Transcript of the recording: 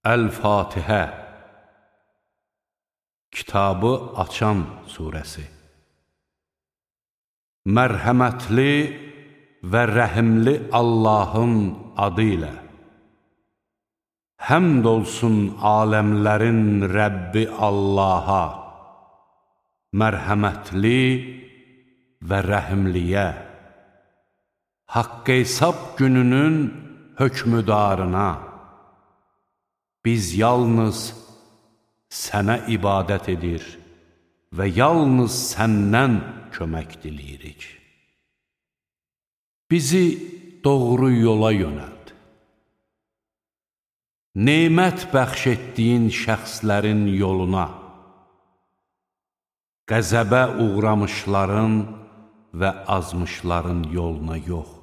Əl-Fatihə Kitabı açan surəsi. Mərhəmətli və rəhimli Allahın adı ilə. Həmd olsun aləmlərin Rəbbi Allaha, mərhəmətli və rəhimliyə, haqq hesab gününün hökmüdarına. Biz yalnız sənə ibadət edir və yalnız səndən kömək diləyirik. Bizi doğru yola yönəld. Nemət bəxş etdiyin şəxslərin yoluna, qəzəbə uğramışların və azmışların yoluna yox.